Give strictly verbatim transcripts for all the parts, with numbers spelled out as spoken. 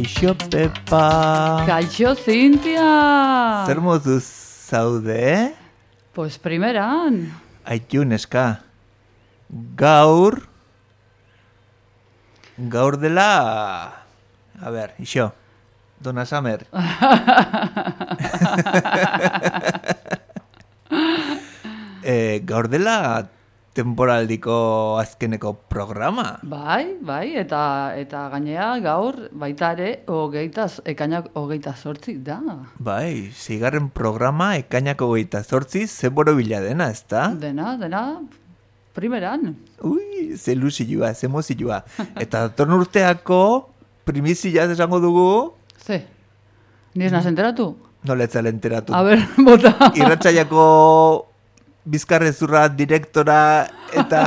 Kaixo, Pepa. Kaixo, Zintia. Zer moduz zaude? Pues primeran. Aitu, neska. Gaur... Gaur dela... A ber, ixo. Dona Samer. e, gaur dela temporaldiko azkeneko programa. Bai, bai, eta eta gainea gaur baita ere hogeitaz, ekainak hogeita zortzi da. Bai, zigarren programa ekainak hogeita zortzi zeboro bila dena, ezta? Dena, dena, primeran. Ui, ze luzilua, ze mozilua. Eta datorn urteako primizia esango dugu... Ze, ni ez naz enteratu? Noletzal enteratu. A ber, bota. Irratsailako bizkarrezurra direktora eta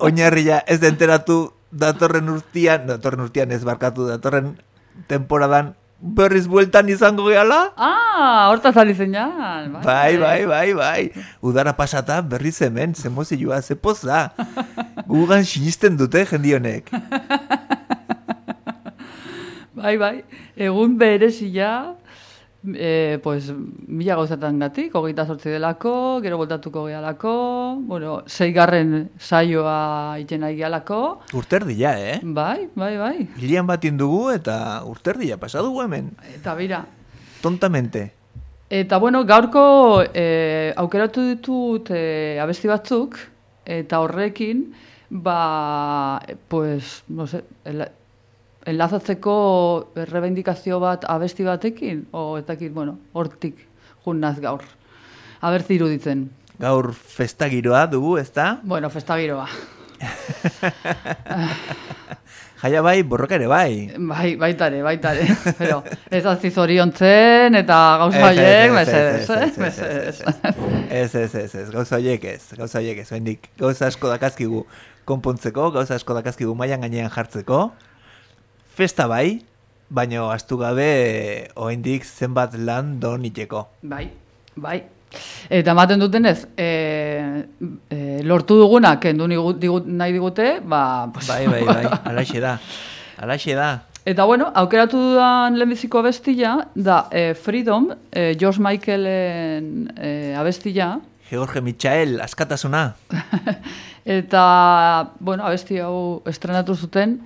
oinarria ez da enteratu datorren urtean, datorren urtean ez barkatu, datorren temporadan berriz bueltan izango gehala? Ah, hortaz ari zeinan. Bai, bai, bai, bai. Udara pasata berriz hemen, ze mozilua, ze poza. Gugan sinisten dute jendionek. Bai, bai, egun berezia, e, pues, mila gauzatan gatik, hogeita zortzi delako, gero voltatuko gehalako, bueno, zeigarren saioa iten nahi gehalako. Urterdia, eh? Bai, bai, bai. Hilian bat indugu eta urterdia pasadugu hemen. Eta bira. Tontamente. Eta bueno, gaurko e, aukeratu ditut e, abesti batzuk, eta horrekin, ba, pues, no sé, el, enlazatzeko errebendikazio bat abesti batekin, o etakit, bueno, hortik junnaz gaur. Abertzi iruditzen. Gaur festagiroa dugu, ezta? Bueno, festagiroa. Jaia bai, borroka ere bai. Bai, baitare, baitare. Pero ez azti zoriontzen eta gauza horiek, mesedez, mesedez. Ez, ez, ez, ez, gauza horiek ez, gauza horiek ez, bendik, gauza asko dakazkigu konpontzeko, gauza asko dakazkigu mailan gainean jartzeko. Festa bai, baina astu gabe oraindik zenbat lan don iteko. Bai, bai. Eta ematen dutenez, e, e, lortu dugunak kendu digut, nahi digute, ba... Pues, bai, bai, bai, alaxe da, alaxe da. Eta bueno, aukeratu dudan lehenbiziko abestia, da e, Freedom, e, George Michaelen e, abestia. George Michael, askatasuna. Eta, bueno, abesti hau estrenatu zuten,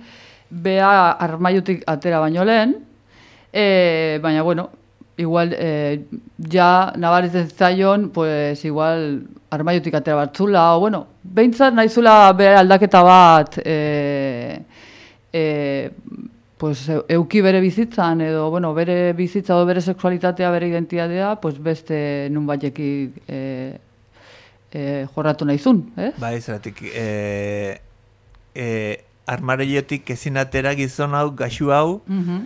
bea armaiutik atera baino lehen, e, baina, bueno, igual, e, ja nabaritzen zaion, pues, igual, armaiutik atera batzula, o, bueno, behintzat nahizula bere aldaketa bat, e, e, pues, euki bere bizitzan, edo, bueno, bere bizitza edo bere sexualitatea, bere identitatea, pues, beste nun batekik e, e, jorratu nahizun, eh? Bai, zeratik, e, e, armareiotik ezin atera gizon hau, gaxu hau, uh-huh.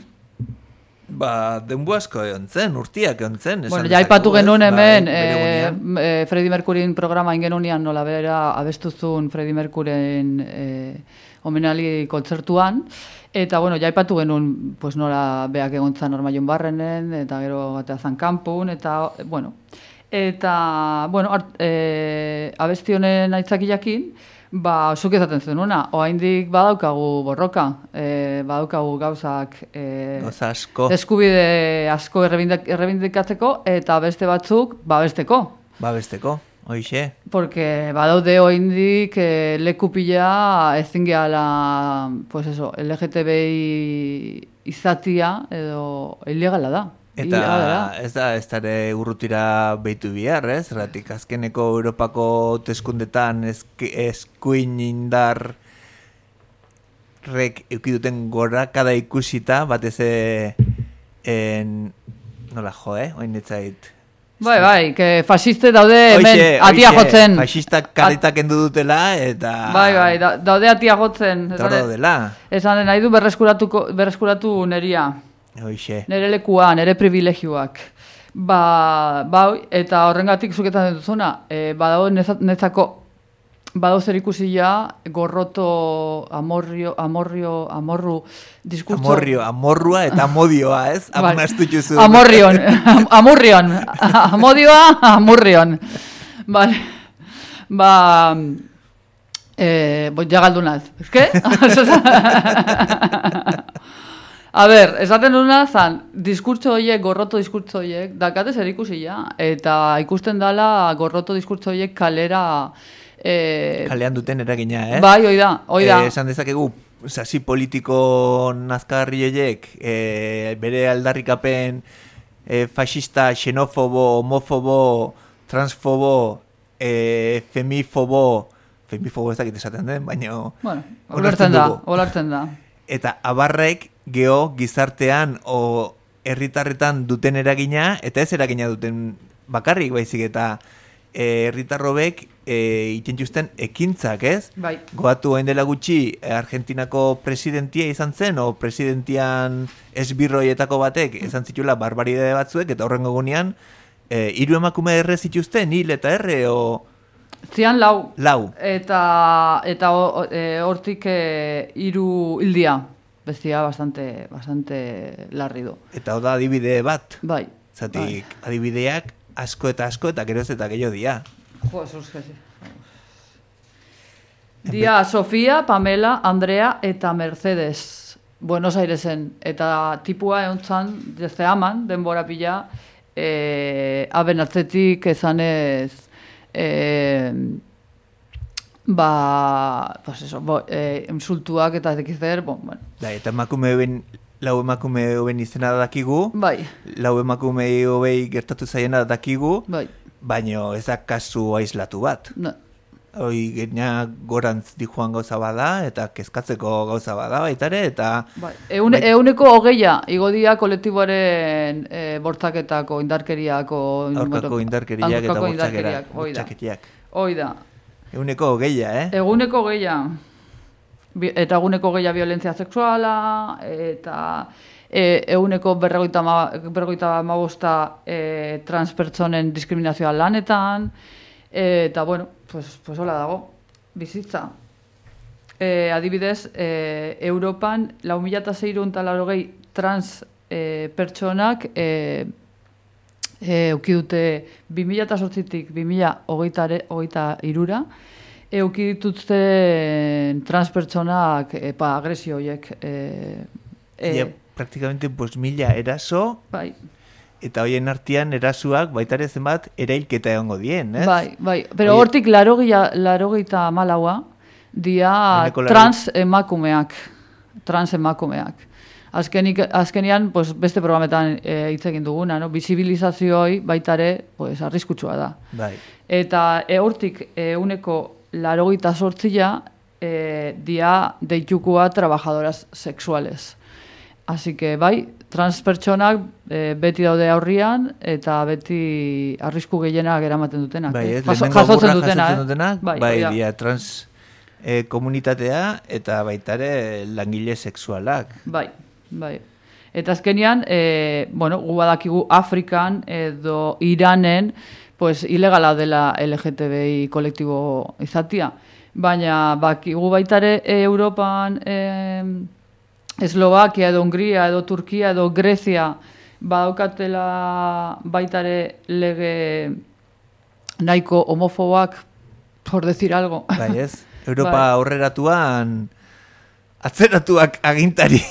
Ba, denbu asko egon zen, urtiak egon zen. Bueno, ja ipatu genuen hemen, ba, e, e, Freddie Mercuryn programa ingenunian nola bera abestuzun Freddie Mercuryn e, omenali kontzertuan, eta, bueno, ja ipatu genuen, pues, nola beak egon zan Ormaion Barrenen, eta gero batea zan kanpun, eta, bueno, eta, bueno, art, e, abesti honen aitzakiakin, ba, zuk ezaten zenuna, oraindik badaukagu borroka, e, badaukagu gauzak e, Gauza asko. Eskubide asko errebindikatzeko, eta beste batzuk babesteko. Babesteko, hoixe. Porque badaude oraindik e, leku pila ezin gehala, pues eso, L G T B I izatia edo ilegala da. Eta ez da, ez dara urrutira behitu bihar, ez? Erratik, azkeneko Europako hauteskundetan eskuin indar rek eukiduten gora kada ikusita, batez en... nola jo, eh? Oin netzait. Bai, bai, que fasiste daude hemen oixe, atia oixe, jotzen. Fasistak karritak endu dutela, eta... Bai, bai, da, daude atia jotzen. Eta daudela. Esan nahi du berreskuratu neria. Hoixe. Nere lekua, nere privilegioak. Ba, ba, eta horrengatik zuketan dutuzuna, e, badao netzako, badao zer ikusia gorroto, amorrio, amorrio, amorru, diskurtso... Amorrio, amorrua eta amodioa, ez? Amunastu juzu. Amorrion, amurrion, amodioa, amurrion. Vale. Ba... Eh, bo, ja galdunaz. Ez que? A ber, esaten duna zan, diskurtso horiek, gorroto diskurtso horiek, dakate zer ikusia, eta ikusten dala gorroto diskurtso horiek kalera... Eh, Kalean duten eragina, eh? Bai, hoi da, hoi da. Eh, esan dezakegu, sasi politiko nazkarri horiek, eh, bere aldarrikapen eh, fascista, xenofobo, homofobo, transfobo, eh, femifobo, femifobo ez dakit esaten den, baina... Bueno, olartzen da, dugu. olartzen da. Eta abarrek geho gizartean o herritarretan duten eragina, eta ez eragina duten bakarrik baizik, eta herritarrobek e, itxentxusten ekintzak, ez? Bai. Goatu hain dela gutxi Argentinako presidentia izan zen, o presidentian esbirroietako batek izan zitula barbaridade batzuek, eta horrengo gunean e, hiru emakume erre zituzten, hil eta erre, o... Zian lau. Lau. Eta, eta o, e, hortik e, hiru hildia. Bestia bastante, bastante larri du. Eta oda adibide bat. Bai. Zatik, bai. Adibideak asko eta asko eta geroz eta gehiago dia. Jo, esos que sí. Dia Sofía, Pamela, Andrea eta Mercedes. Buenos Airesen. Eta tipua eontzan, desde aman, denbora pila, e, aben atzetik ezanez... Eh, ba, pues eso, bo, eh, insultuak eta dekizer, bon, bueno. Da, eta emakume ben, lau emakume hoben izena dakigu, bai. Lau emakume hobei gertatu zaiena dakigu, bai. Baina ez da kasu aislatu bat. No. Hoi gena gorantz di joan gauza bada, eta kezkatzeko gauza bada baitare, eta... Bai. Eune, bai. Euneko hogeia, igodia kolektiboaren e, bortzaketako, indarkeriako... Aurkako indarkeriak eta bortzaketiak. Hoi da. Euneko hogeia, eh? Eguneko hogeia. Eta eguneko hogeia violentzia sexuala, eta e, eguneko berrogeita hamabosta e, transpertsonen diskriminazioa lanetan, e, eta bueno, pues, pues hola dago, bizitza. E, adibidez, e, Europan lau mila seiehun eta laurogei trans e, pertsonak e, e, euki dute bi mila zortzitik bi mila hogeita hirura, euki dituzten transpertsonak e, pa, agresio horiek. E, e, ja, praktikamente pues, mila eraso, bai. Eta hoien artean erasuak baitare zenbat erailketa egongo dien, ez? Bai, bai, pero Oie... hortik larogeita malaua dia trans emakumeak, trans emakumeak. Azkenik, azkenian, pues, beste programetan e, hitz egin duguna, no? Bizibilizazioi baitare, pues, arriskutsua da. Bai. Eta e, hortik euneko larogeita sortzia e, dia deitukua trabajadoras sexuales. Así que, bai, trans pertsonak e, beti daude aurrian eta beti arrisku gehienak eramaten dutenak. Bai, ez, Jaso, lehenengo jasotzen burra dutena, jasotzen dutenak, eh? bai, bai, bai dia trans e, komunitatea eta baitare langile sexualak. Bai, bai. Eta azkenian, e, bueno, gu badakigu Afrikan edo Iranen, pues, ilegala dela L G T B I kolektibo izatia. Baina, bakigu baitare e, Europan... E, Eslovakia edo Hungria edo Turkia edo Grezia badaukatela baitare lege nahiko homofoboak, por decir algo. Bai ez, Europa bai. Aurreratuan atzeratuak agintari.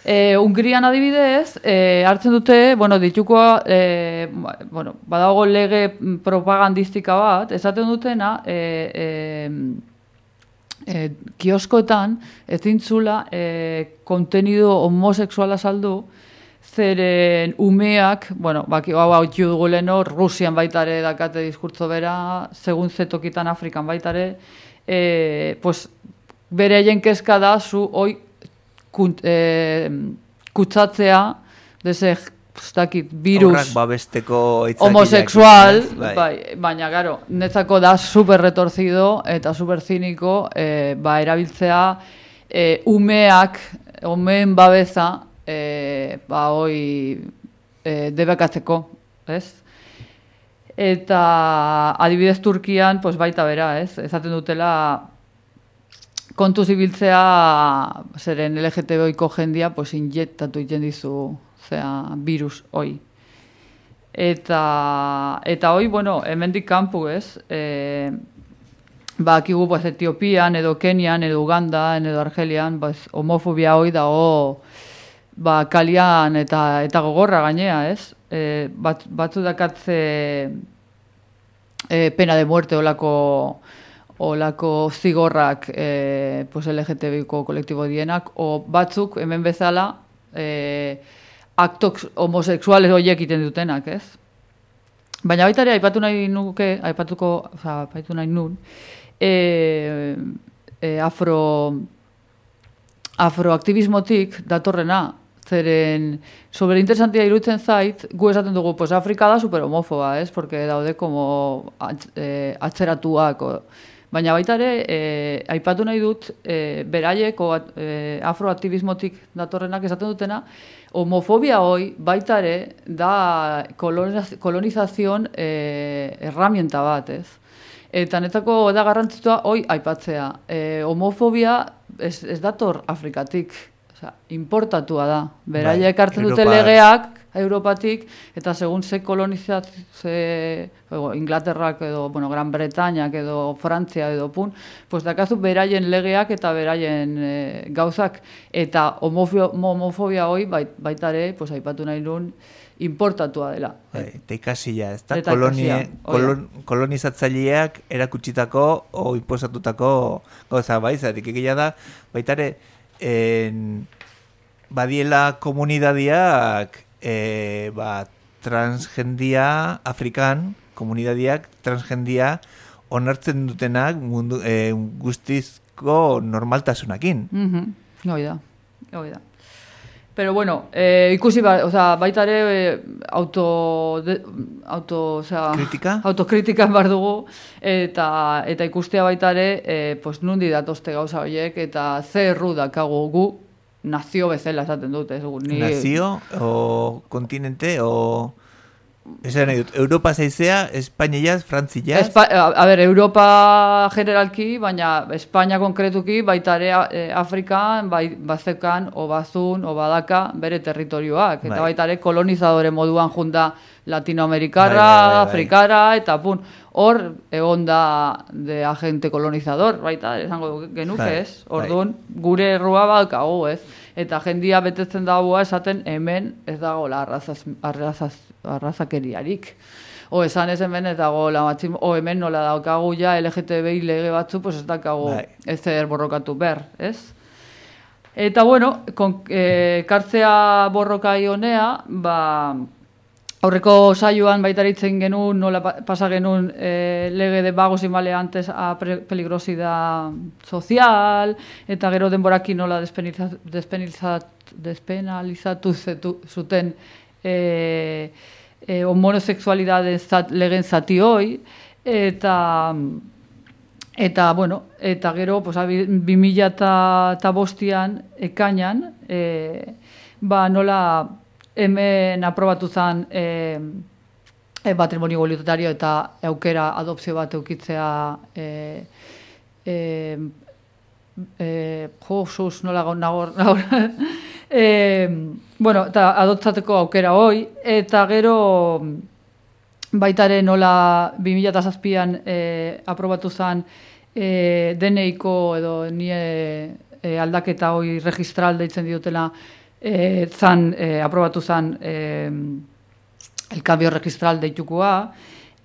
e, Hungrian adibidez, e, hartzen dute, bueno, ditukoa, e, bueno, badago lege propagandistika bat, esaten dutena, e, e, E, kioskoetan ez dintzula e, kontenido homosexuala saldu, zeren umeak, bueno, baki hau hau dugu leno, Rusian baitare dakate diskurtzo bera, segun zetokitan Afrikan baitare, e, pues, bere haien kezka da zu hoi kunt, e, kutsatzea dese dakit, virus Horrak babesteko homosexual, bai. Bai, baina, garo, netzako da super retorcido eta super ziniko e, ba, erabiltzea e, umeak, umeen babeza e, ba, hoi e, debekatzeko, ez? Eta adibidez Turkian, pues, baita bera, ez? Ezaten dutela kontu zibiltzea zeren L G T B iko jendia, pues, injektatu iten dizu zera, virus hoi. Eta, eta hoi, bueno, hemendik kanpu, ez? E, ba, akigu, pues, Etiopian, edo Kenian, edo Ugandan, edo Argelian, pues, homofobia hoi dago, ba, kalian eta eta gogorra gainea, ez? E, bat, batzu dakatze e, pena de muerte olako olako zigorrak e, pues L G T B ko kolektibo dienak, o batzuk hemen bezala e, aktok homosexuales horiek iten dutenak, ez? Baina baita ere, aipatu nahi nuke, aipatuko, oza, aipatu nahi nun, e, e, afro, afroaktivismotik datorrena, zeren sobre interesantia iruditzen zait, gu esaten dugu, pues Afrika da super homofoba, ez? Porque daude como atz, e, atzeratuak, o, baina baita ere, e, aipatu nahi dut, e, beraiek o e, afroaktivismotik datorrenak esaten dutena, homofobia hoi baita ere da kolonizazion e, herramienta bat, ez? Eta netako da garrantzitsua hoi aipatzea. E, homofobia ez, ez dator Afrikatik, osea, importatua da. Beraiek hartzen dute legeak Europatik, eta segun ze kolonizazio, ze, Inglaterrak edo, bueno, Gran Bretañak edo Frantzia edo pun, pues dakazu beraien legeak eta beraien e, gauzak, eta homofobia, homofobia hoi bait, baitare, pues aipatu nahi nun, importatua dela. Eta ikasia, ez da? Kolonie, kolon, kolonizatzaileak erakutsitako o imposatutako gauza bai, zatik egia da, baitare, en, badiela komunidadiak e, ba, transgendia Afrikan, komunidadiak transgendia onartzen dutenak mundu, e, guztizko normaltasunakin. Mm-hmm. Hoi da, hoi da. Pero bueno, eh, ikusi ba, o sea, baita ere eh, auto, de, auto, o sea, kritika? Autokritikan bar dugu, eta, eta ikustea baita ere, eh, pues nundi datozte gauza horiek, eta ze erru dakagu gu, nazio bezala esaten dut. Ez, ni... Nazio, o kontinente, o... Esan nahi dut, Europa zaizea, Espainiaz, Frantziaz? Espa, a, a ber, Europa generalki, baina Espainia konkretuki, baita ere e, Afrikan, bai, bazekan, o bazun, o badaka, bere territorioak. Eta bai. Baita ere kolonizadore moduan junda latinoamerikarra, bai, bai, bai, bai. Afrikara, eta pun, hor egon da de agente kolonizador, baita, esango genuke, bai, ez? Orduan, bai. Gure errua balkagu, ez? Eta jendia betetzen dagoa esaten hemen ez dagoela arrazaz, arrazaz, arrazakeriarik. O esan ez hemen ez dagoela matxim, o hemen nola daukagu ja L G T B I lege batzu, pues ez daukagu ez zer borrokatu ber, ez? Eta bueno, kon, e, kartzea borrokai honea, ba... Aurreko saioan baitaritzen genuen, nola pasa genuen eh, lege de vagos y maleantes a peligrosidad social, eta gero denborakin nola despenalizat, despenalizatu zetu, zuten eh, eh, homosexualidade zat, legen zati hoi, eta, eta, bueno, eta gero, pues, bi mila eta bostian, ekainan, eh, ba, nola... Hemen aprobatu zen e, e, matrimonio igualitario eta aukera adopzio bat eukitzea e, e, e, jo, sus, nola nagor, nagor. e, bueno, eta adoptzateko aukera hoi, eta gero baitare nola bi mila zazpian e, aprobatu zen e, D N I-ko edo nie e, aldaketa hoi registral deitzen diotela. E, zan, e, aprobatu zan e, el cambio registral deitukoa,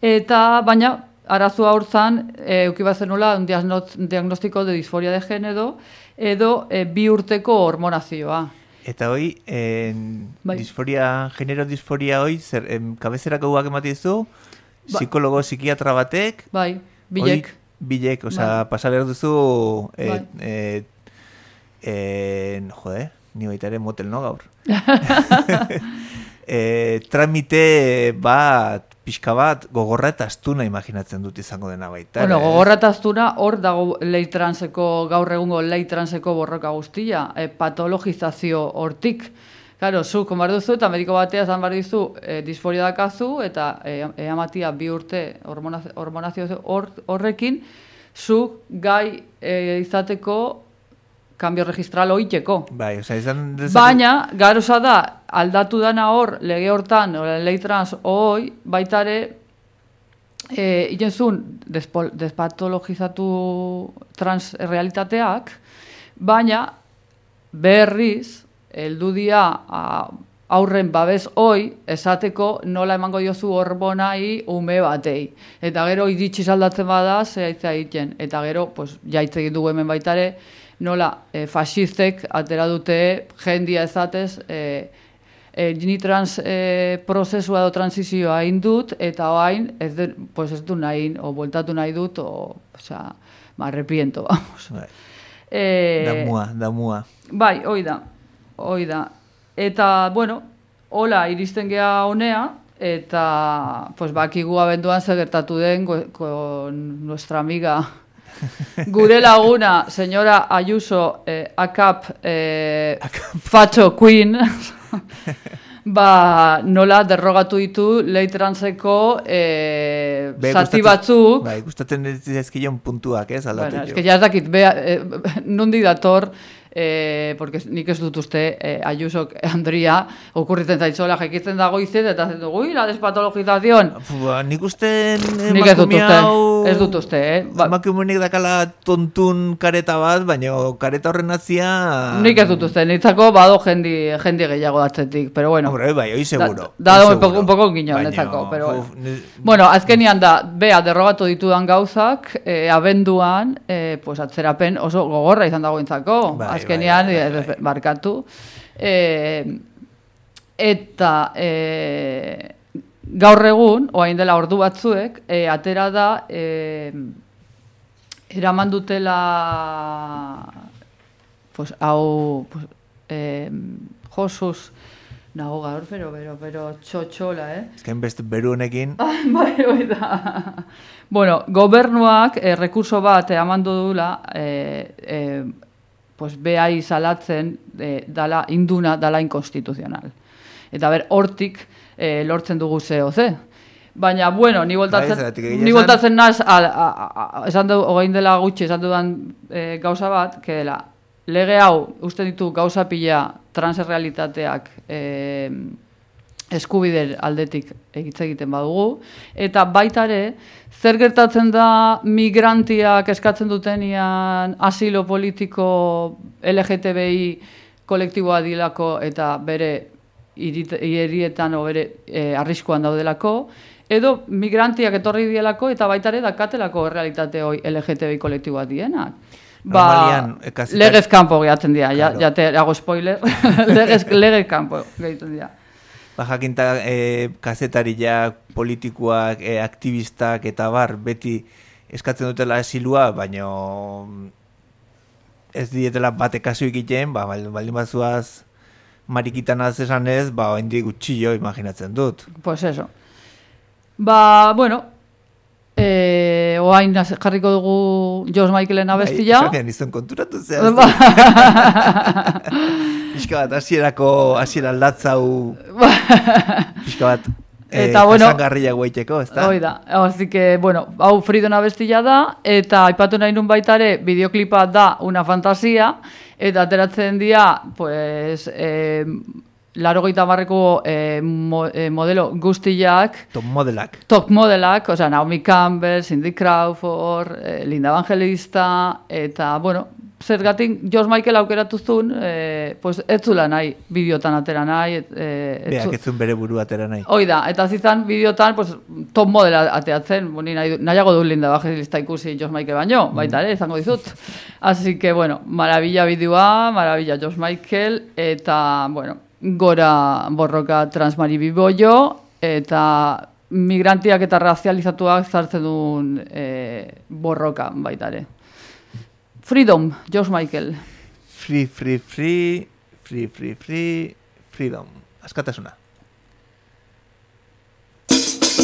eta baina arazoa hor zan e, eukibazen nola un diagnostiko de disforia de género edo e, bi urteko hormonazioa. Eta hoi, en, bai. disforia, genero disforia hoi, zer, em, kabezerako guak ematizu, ba. Psikologo, psikiatra batek, bai, bilek. Hoi, bilek, oza, bai. Pasar duzu, et, bai. et, en, jode, ni baita ere motel, no, gaur? e, tramite bat, pixka bat, gogorra eta astuna imaginatzen dut izango dena baita. Bueno, gogorra eta astuna, hor dago lei transeko, gaur egungo lei transeko borroka guztia, e, patologizazio hortik. Claro, zu, konbar duzu, eta mediko batea zan bar dizu, e, disforia dakazu, eta e, e, amatia bi urte hormonazio hor, horrekin, zu gai e, izateko kambio registral oiteko. Bai, oza, izan... Dezak... Baina, garoza da, aldatu dana hor, lege hortan, lei trans hoi, baitare, e, itenzun despatologizatu transrealitateak, baina berriz, heldu dia aurren babes hoi, esateko nola emango diozu hormonai ume batei. Eta gero iritsi aldatzen bada, zehaitza egiten. Eta gero, pues, jaitze egin dugu hemen baitare, nola e, fascistek atera dute jendia ezatez, e, e, ni trans e, prozesua edo transizioa indut, eta oain ez, de, pues, ez du nahi, o bueltatu nahi dut, o, osea, me arrepiento, vamos. Bai. E, damua, damua. Bai, hoi da, hoi da. Eta, bueno, hola iristen gea honea, eta, pues, bakigu abenduan zer gertatu den con nuestra amiga gure laguna, señora Ayuso, eh, A C A P, eh, Facho Queen, ba, nola derrogatu ditu lei transeko eh, zati batzuk. Bai, gustatzen ezkilion puntuak, ez, aldatu. Bueno, es que ya ez dakit, bea, eh, nundi dator, eh, porque nik ez dut uste eh, Ayuso Andria okurritzen zaitzola jekitzen dago izet, eta zen dugu, la despatologización. Ba, nik uste nik ez dut uste, ez dut uste, eh? Ba, emakumenik dakala tontun kareta bat, baina kareta horren atzia... Nik ez dut uste, nitzako bado jendi, jendi gehiago datzetik, pero bueno. Hombre, bai, hoi seguro. Da, da un poco, un poco guiño, netzako, pero bueno. Uf, ne... Bueno, azkenian da, bea derrogatu ditudan gauzak, eh, abenduan, eh, pues atzerapen oso gogorra izan dagoentzako. Bai, azkenian, bai, bai, bai. Barkatu. Eh, eta eh, gaur egun, oain dela ordu batzuek, eh, atera da, eh, eraman dutela, pues, hau, pues, eh, Josus, nago gaur, pero, pero, pero, txotxola, eh? Ez que enbeste beru honekin. Bai, bai da. Bueno, gobernuak eh, rekurso bat emandu dula, eh, eh, pues, behai salatzen eh, dala, induna dala inkonstituzional. Eta ber, hortik eh, lortzen dugu zeo ze. Baina, bueno, ni voltatzen, ni voltatzen naz, esan du, hogein dela gutxi, esan dudan eh, gauza bat, que dela, lege hau, uste ditu gauza pila transrealitateak eh, eskubider aldetik egitze egiten badugu, eta baitare, zer gertatzen da migrantiak eskatzen dutenian asilo politiko L G T B I kolektiboa dilako eta bere hirietan o bere eh, arriskuan daudelako, edo migrantiak etorri dielako eta baitare dakatelako realitate hoi L G T B I kolektiboa dienak. Ba, legez kanpo gehatzen dira, claro. Ja te hago spoiler, legez, legez kanpo gehatzen dira. Ba, jakinta eh, kazetariak, politikoak, eh, aktivistak eta bar, beti eskatzen dutela esilua, baina ez dietela bate kasu ikiten, ba, baldin bazuaz marikitan az esan ez, ba, hendik gutxillo imaginatzen dut. Pues eso. Ba, bueno, Eh, oain jarriko dugu George Michaelen abestia. Bai, esan izan konturatu zehaz. Pixka bat, hasierako hasiera aldatzau. Pixka bat, eh, eta bueno, jasangarria guaiteko, ez da? Hoi da, así que, bueno, hau Freedom abestia da, eta aipatu nahi nun baitare, bideoklipa da una fantasia, eta ateratzen dira, pues, eh, Larogeita barreko eh, mo, eh, modelo guztiak. Top modelak. Top modelak, o sea, Naomi Campbell, Cindy Crawford, eh, Linda Evangelista, eta, bueno, zergatik George Michael aukeratuzun, eh, pues, ez zula nahi, bideotan atera nahi. Et, eh, Beak ez zuen bere buru atera nahi. Hoi da, eta zizan bideotan, pues, top modela ateatzen, boni, nahi, nahiago du Linda Evangelista ikusi George Michael baino, mm. baita ere, izango dizut. Así que, bueno, maravilla bideoa, maravilla George Michael, eta, bueno, gora borroka transmaribiboio, eta migrantiak eta razializatuak zartzen duen e, borroka baitare. Freedom, George Michael. Free, free, free, free, free, free, freedom. Askatasuna. I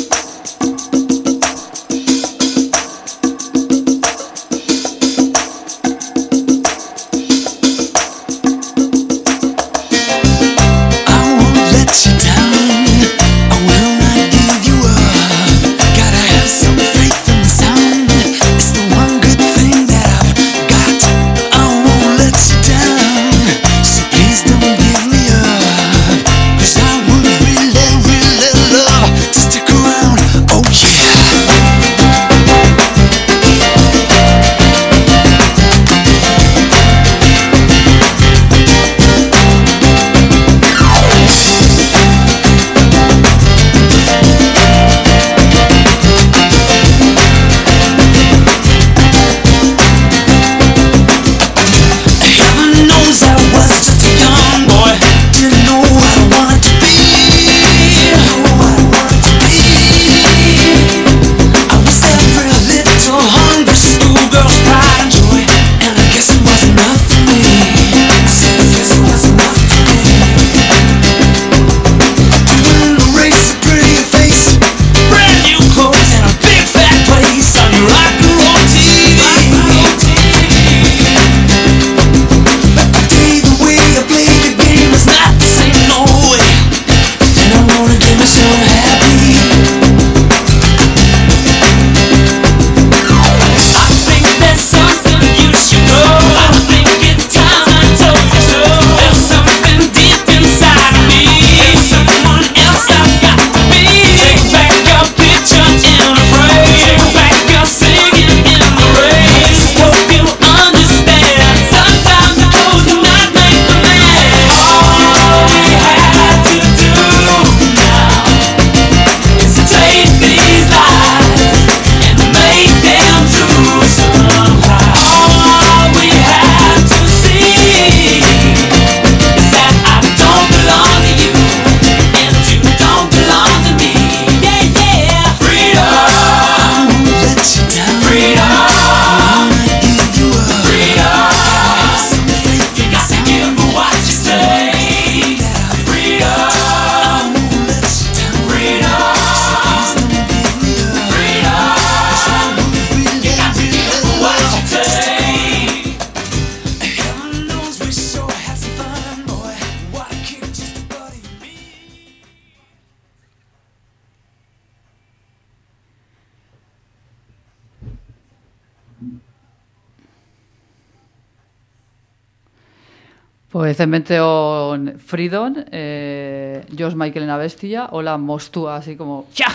Pues Cementeon Freedom, eh, George Michaelen abestia, hola mostua, así como, txa!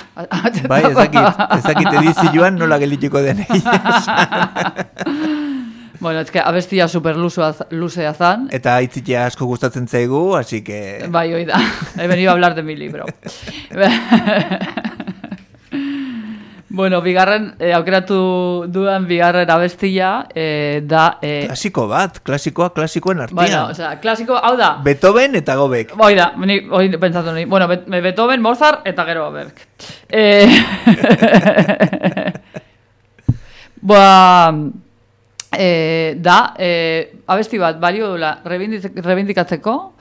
Bai, ezakit, ezakit edizi joan nola gelitiko den Bueno, es que abestia super luzea zan. Eta aitzitea asko gustatzen zaigu, así que... Bai, oida, he venido a hablar de mi libro. Bueno, bigarren, eh, aukeratu dudan bigarren abestia eh, da... Eh, Klasiko bat, klasikoa klasikoen artean. Bueno, o sea, klasiko, hau da... Beethoven eta Gobek. Hoi da, ni, hoi pentsatu ni. Bueno, Beethoven, Mozart eta gero Gobek. Eh, Boa... Eh, da, eh, abesti bat, balio dula rebindikatzeko,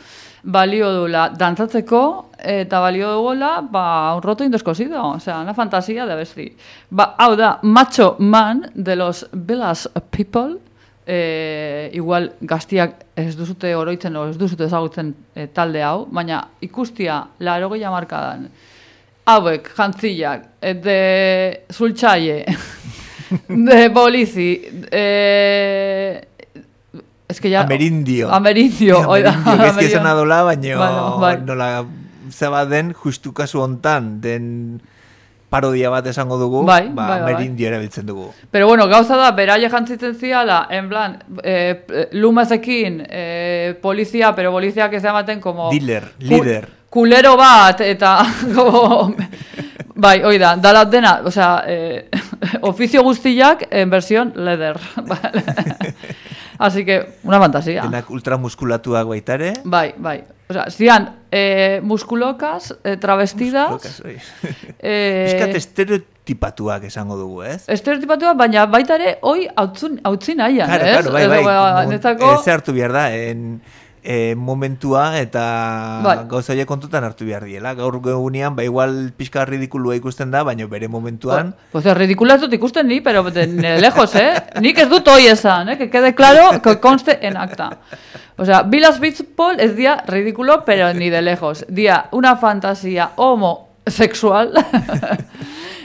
balio dula dantzatzeko, eta balio dugula, ba, un roto indescosido, o sea, una fantasía de abesti. Ba, hau da, Macho Man de los Village People, eh, igual gaztiak ez duzute oroitzen, o ez duzute ezagutzen eh, talde hau, baina ikustia, larogeia markadan, hauek, jantzillak, eh, de Zultzaie, de Polizi, eh... Es que ya... Amerindio. Amerindio, oida. Amerindio, ez que esan adola, baina bueno, bai. Nola zeba den, justu kasu hontan, den parodia bat esango dugu, bai, ba, bai, bai, Amerindio erabiltzen dugu. Pero bueno, gauza da, beraia jantzitzen ziala, en plan, eh, lumazekin, eh, polizia, pero poliziak ez ematen como... Dealer, líder. Kulero bat, eta... Como, bai, oida, dalat dena, o sea, eh, oficio guztiak en versión leather. Vale. Así que, una fantasía. Denak ultramuskulatuak baitare. Bai, bai. O sea, zian, eh, muskulokaz, eh, travestidas. Muskulokaz, oi. eh, Piskat estereotipatuak esango dugu, ez? Estereotipatuak, baina baita ere, hoi hautzin nahian, claro, ez? Claro, bai, bai. Ba, netako... Ez hartu behar da, en... E, momentua eta bai. Gauza horiek kontutan hartu behar diela. Gaur egunean, ba igual pixka ridikulua ikusten da, baina bere momentuan... Pues el ridikula ez dut ikusten ni, pero de, de lejos, eh? Nik ez dut hoi esan, eh? Que quede claro, que conste en acta. O sea, Village People ez dia ridículo, pero ni de lejos. Dia una fantasía homosexual...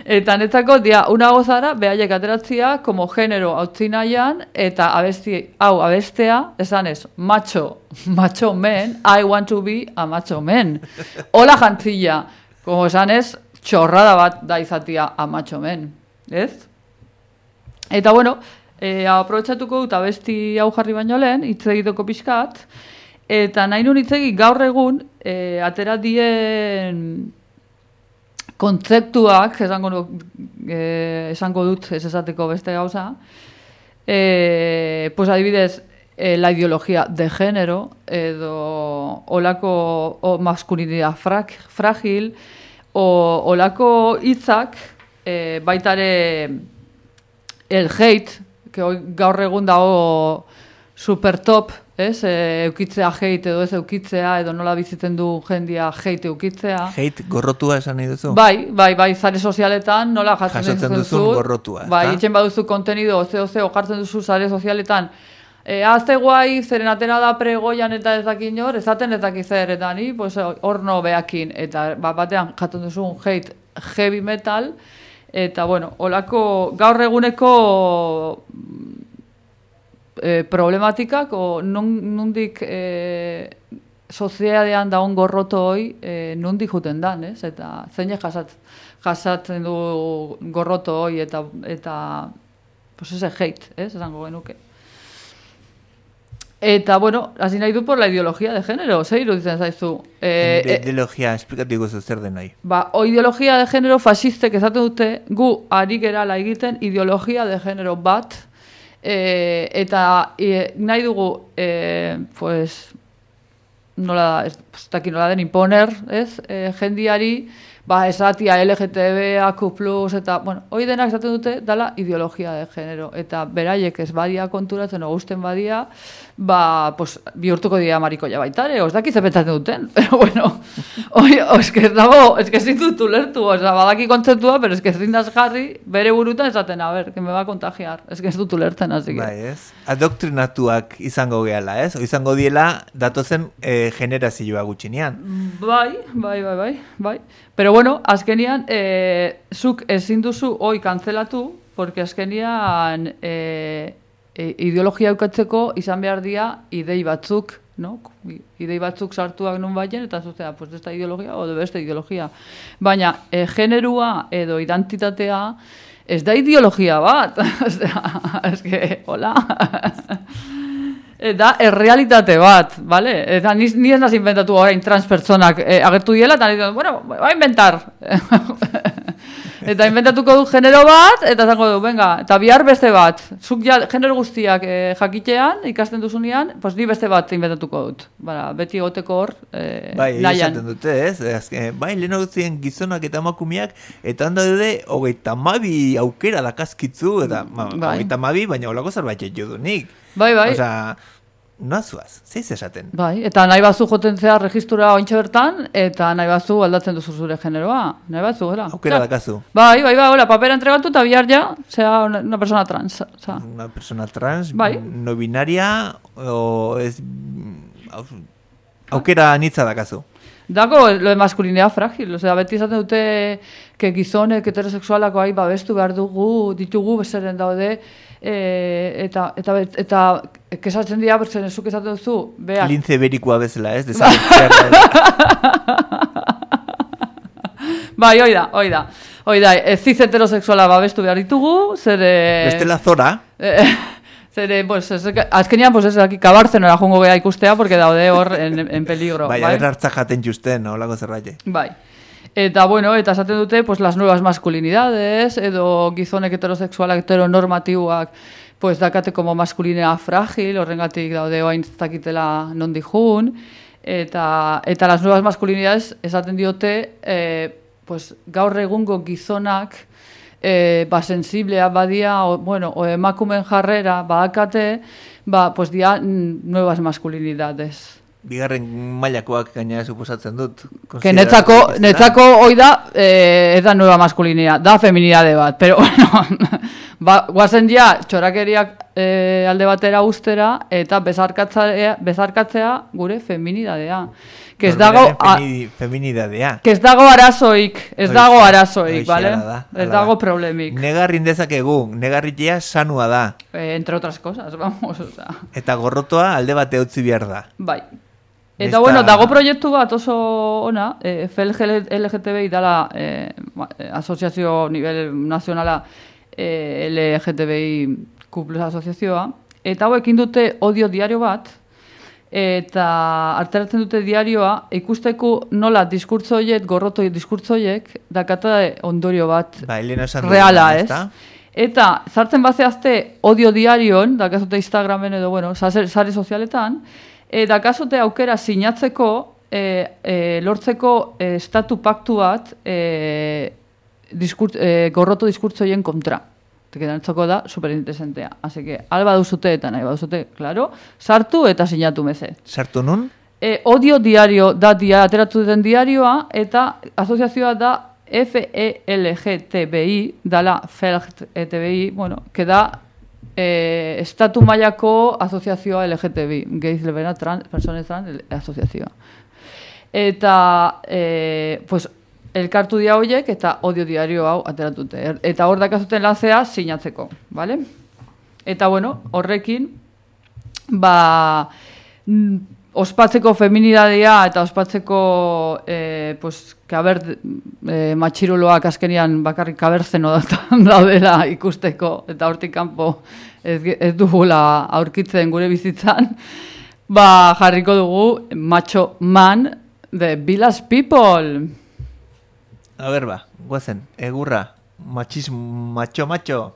Eta netzako, dia, una gozara, behaiek ateratzia, como genero hautzinaian, eta abesti, hau abestea, esan ez, macho, macho men, I want to be a macho men. Hola jantzilla, como esan ez, txorrada bat da izatia a macho men, ez? Eta bueno, eh, aprobetxatuko dut abesti hau jarri baino lehen, hitz egiteko pixkat, eta nahi nun hitz egin gaur egun, eh, atera dien... kontzeptuak, esango, eh, esango dut ez esateko beste gauza, eh, pues adibidez, eh, la ideología de género, edo olako o masculinidad frag, frágil, o olako hitzak, eh, baitare el hate, que hoy gaur egun dago super top, ez? E, eukitzea hate edo ez eukitzea, edo nola bizitzen du jendia hate eukitzea. Hate gorrotua esan nahi duzu? Bai, bai, bai, zare sozialetan nola jasotzen duzun duzu. Gorrotua. Bai, itxen baduzu kontenido, ozeo, ozeo, jartzen duzu zare sozialetan. E, azte guai, zeren atera da pregoian eta ez dakin hor, ezaten ez dakin zer, eta ni, pues, horno behakin, eta bat batean jaten duzu hate heavy metal, eta bueno, olako gaur eguneko... Eh, problematikak o nondik eh, soziadean daun gorroto hoi eh, nondik juten dan, ez? Eta zeinek jasat, jasatzen du gorroto hoi eta eta pues ese hate, ez? Esango genuke. Eta, bueno, hasi nahi du por la ideología de género, zer iruditzen zaizu? Eh, de, ideologia, esplikatu guzu zer den nahi. Ba, o ideologia de género fascistek esaten dute, gu ari gerala egiten ideologia de género bat, Eh, eta eh, nahi dugu eh, pues nola da, ez daki nola den imponer, ez? Eh, jendiari, ba, esatia L G T B A Q plus, eta, bueno, hoi denak esaten dute, dala ideologia de género, eta beraiek ez badia konturatzen, o gusten badia, ba, pues, bihurtuko dira marikoia baitare, o ez daki zepetatzen duten, pero bueno, oi, o, ez que ez dago, ez que ez ditut ulertu, o, ez da, badaki kontzeptua, pero ez que ez dindaz jarri, bere burutan esaten, a ver, que me va a contagiar, ez que ez dut ulertzen, así que... Bai, ez? Adoktrinatuak izango gehala, ez? O izango diela, datozen eh, generazioa gutxinean. Bai, bai, bai, bai, bai. Pero bueno, azkenian, eh, zuk ezin duzu hoi kantzelatu, porque azkenian e, e, ideologia eukatzeko izan behar dira idei batzuk, no? Idei batzuk sartuak nun baien, eta zuzea, pues esta ideologia, o beste ideologia. Baina, e, generua edo identitatea ez da ideologia bat. Ez que, hola. Da, errealitate bat, vale? Eta ni, ni ez naz inventatu orain trans pertsonak eh, agertu diela, eta ni, bueno, va a inventar. Eta inventatuko du genero bat, eta zango du, venga, eta bihar beste bat. Zuk ja, genero guztiak eh, jakitean, ikasten duzunean, pues ni beste bat inventatuko dut. Bara, beti goteko hor, eh, bai, nahian. esaten dute, ez? Azken, bai, leheno guztien gizonak eta emakumeak, eta handa dute, hogeita mabi aukera dakazkitzu, eta ma, bai. hogeita mabi, baina holako zerbait jodunik. Bai, bai. Osa, noazuaz, zeiz esaten? Bai, eta nahi bazu joten zea registura ointxe bertan, eta nahi bazu aldatzen duzu zure generoa. Nahi bazu, gara. Aukera dakazu. Bai, bai, bai, hola, papera entregatu eta bihar ja, zea una, una persona trans. Zea. Una persona trans, bai. No binaria, o ez... Aukera anitza dakazu. Dago, lo de masculinidad frágil, o sea, beti izaten dute que gizonek heterosexualako ahi babestu behar dugu, ditugu, bezeren daude, e, eta, eta, eta, kesatzen dira, bertzen zuk esaten duzu, beak. Lince berikoa bezala, ez? Desagertzear. Bai, hoi da, hoi da. Hoi da, ez ziz heterosexuala babestu behar ditugu, zer... Bestela zora. Zere, pues, ez, azkenean, pues, ez, aquí kabartzenora jongo geha ikustea, porque daude hor en, en peligro. Bai, bai? Haber hartza jaten justen, holako zerbait. Bai. Eta, bueno, eta esaten dute, pues, las nuevas masculinidades, edo gizonek heterosexualak heteronormatiboak, pues, dakate como masculinidad frágil, horrengatik daude oain zakitela non dijun, eta, eta las nuevas masculinidades esaten diote, eh, pues, gaur egungo gizonak, E, ba, sensiblea badia, o, bueno, o emakumen jarrera badakate, ba, pues dia nuevas masculinidades. Bigarren mailakoak gaina suposatzen dut. Que netzako, netzako hoi da, eh, ez da nueva masculinidad, da feminidade bat, pero bueno, ba, guazen ja, txorakeriak eh, alde batera ustera, eta bezarkatzea, bezarkatzea gure feminidadea. Que ez dago Femini, feminidadea. Que ez dago arazoik, ez dago arazoik, vale? Da, ez dago problemik. Negarrin dezakegu, negarritea sanua da. Eh, entre otras cosas, vamos, o sea. Eta gorrotoa alde bate utzi behar da. Bai. Eta Esta... bueno, dago proiektu bat oso ona, eh, F L G T B I dala eh, asoziazio nivel nazionala eh, L G T B I Q plus asoziazioa, eta hauekin dute odio diario bat, eta arteratzen dute diarioa, ikusteko nola diskurtzoiek, gorroto diskurtzoiek, dakata ondorio bat ba, reala, ez? Eta zartzen bazeazte odio diarion, dakazute Instagramen edo, bueno, sare sozialetan, e, dakazote aukera sinatzeko, e, e, lortzeko e, estatu paktu bat e, diskur, e, gorroto diskurtzoien kontra. Gedantzako da superinteresantea. Así que, alba duzute eta nahi baduzute, claro, sartu eta sinatu meze. Sartu nun? E, odio diario da dia, ateratu den diarioa, eta asoziazioa da F E L G T B I, dala F E L G T B I, bueno, que da eh, estatu mailako asoziazioa L G T B I, gays, lesbianas, trans, personas trans, asoziazioa. Eta, eh, pues, elkartu dia horiek eta odio diario hau ateratute. Eta hor dakazuten lanzea sinatzeko, vale? Eta bueno, horrekin, ba, ospatzeko feminidadea eta ospatzeko, eh, pues, kaber, eh, matxiruloak azkenian bakarrik kaberzeno daudela ikusteko, eta hortik kanpo ez, ez dugula aurkitzen gure bizitzan, ba, jarriko dugu Macho Man de Village People. A ver, ba, guazen, egurra, machismo, macho, macho.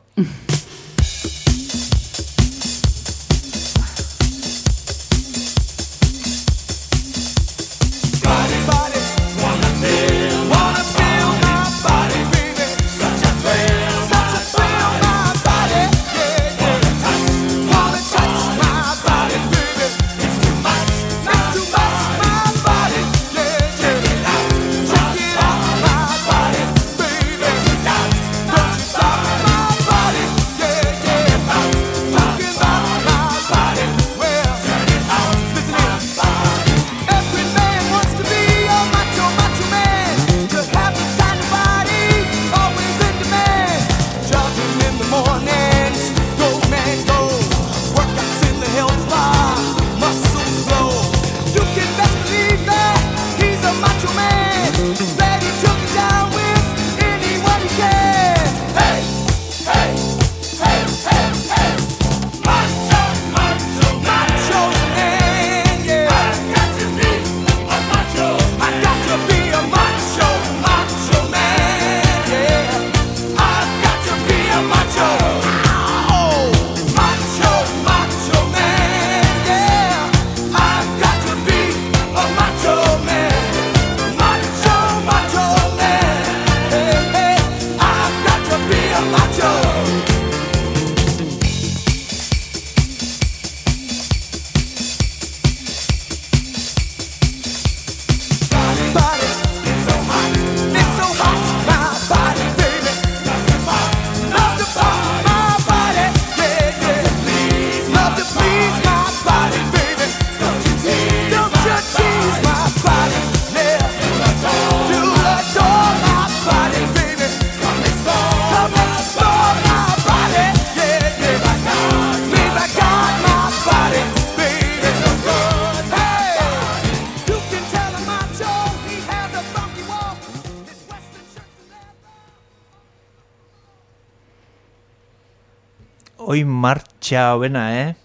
Hoi martxa hobena, eh?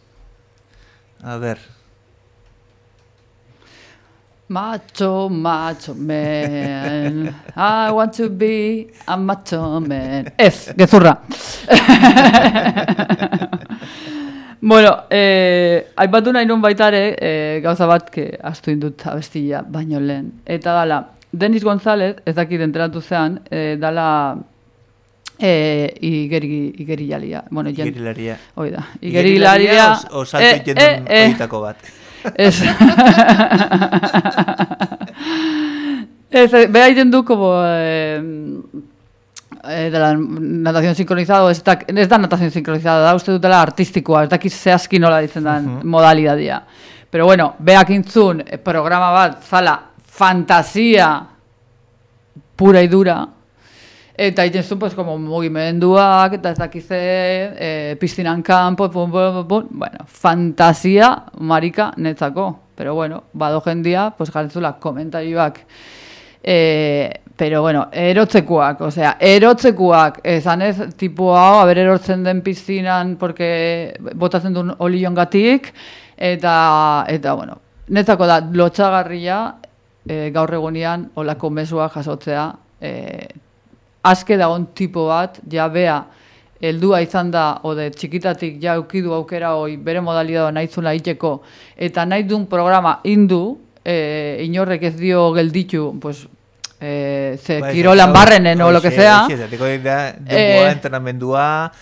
A ber. Macho, macho man, I want to be a macho man. Ez, gezurra. Bueno, eh, aipatu nahi nun baitare, eh, gauza bat, que astu indut abestia baino lehen. Eta dala, Denis González, ez dakit enteratu zean, eh, dala eh, igeri, igerilaria. Bueno, jen, Igerilaria. Hoi da. Igerilaria. O, o salto eh, jendun eh, eh, oitako bat. Ez. Ez, beha iten du, como... Eh, Eh, de la natación sincronizada, ez da, ez da natación sincronizada, da uste dutela artistikoa, ez dakit zehazki nola ditzen da uh-huh. modalidadia. Pero bueno, beak intzun programa bat, zala, fantasia pura y dura, eta egiten zuen, pues, como mugimenduak, eta ez dakize, eh, piztinan kanpo, pum, pum, pum, pum, bueno, fantasia marika netzako. Pero bueno, bado jendia, pues, jarretzula komentarioak, eh, pero bueno, erotzekoak, osea, erotzekoak, esan ez, tipo hau, haber erotzen den piztinan, porque botatzen duen oliongatik, eta, eta, bueno, netzako da, lotxagarria, e, gaur egunean, olako mesua jasotzea, e, aske dagoen tipo bat, ja bea, heldua izan da, ode txikitatik ja eukidu aukera hoi, bere modalidad nahi zula iteko, eta nahi duen programa indu, e, inorrek ez dio gelditu, pues, Eh, ze ba, kirolan barrenen o lo que sea eh, entrenamendua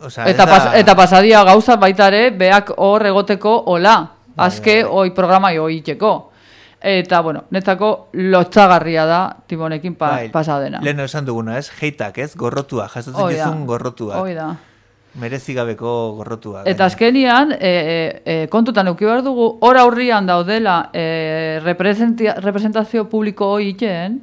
o sea, eta, pas, eta pasadia gauza baitare beak hor egoteko hola azke bai, bai. Oi programa hoi itxeko eta bueno, netzako lotxagarria da timonekin pa, bai, pasadena lehen esan duguna ez, heitak ez, gorrotua jasotzen jezun gorrotua hoi da merezigabeko gorrotua. Eta azkenian, e, e, e, kontutan euki behar dugu, hor aurrian daudela e, representazio publiko hoi iten,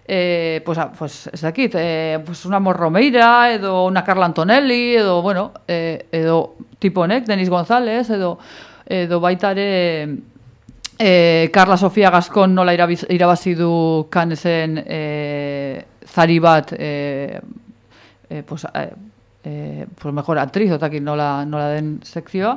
e, pues, pues, ez dakit, e, pues una Morromeira, edo una Carla Antonelli, edo, bueno, e, edo tiponek, Denis González, edo, edo baitare e, Carla Sofia Gascon nola irabiz, irabazi du Canesen e, zari bat, e, e, pues, e, Eh, pues mejor actriz otakin nola, nola den sekzioa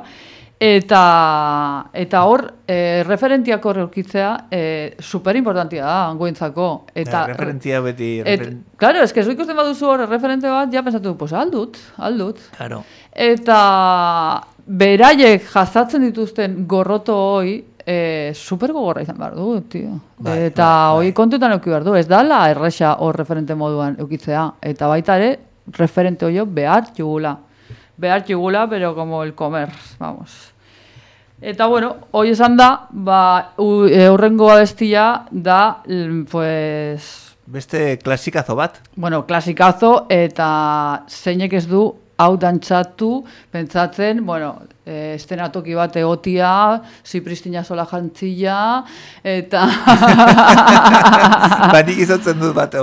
eta eta hor eh, referentiak horrekitzea eh, super importantia da angoentzako eta ja, referentia beti et, referen... claro, es que zu ikusten baduzu hor referente bat ja pensatu, pues aldut, aldut claro. Eta beraiek jasatzen dituzten gorroto hoi eh, super gogorra izan behar du, tio. Bai, eta bai, hoi bai. Kontutan euki behar du, ez dala erresa hor referente moduan eukitzea eta baita ere referente hoyo behar jugula. Behar jugula, pero como el comer, vamos. Eta bueno, hoy esan da, ba, eurrengo abestia da, pues... Beste klasikazo bat? Bueno, klasikazo, eta zeinek ez du hau dantzatu, pentsatzen, bueno, eh, estenatoki bat egotia, Zipristina sola jantzila, eta... Banik izotzen dut bat,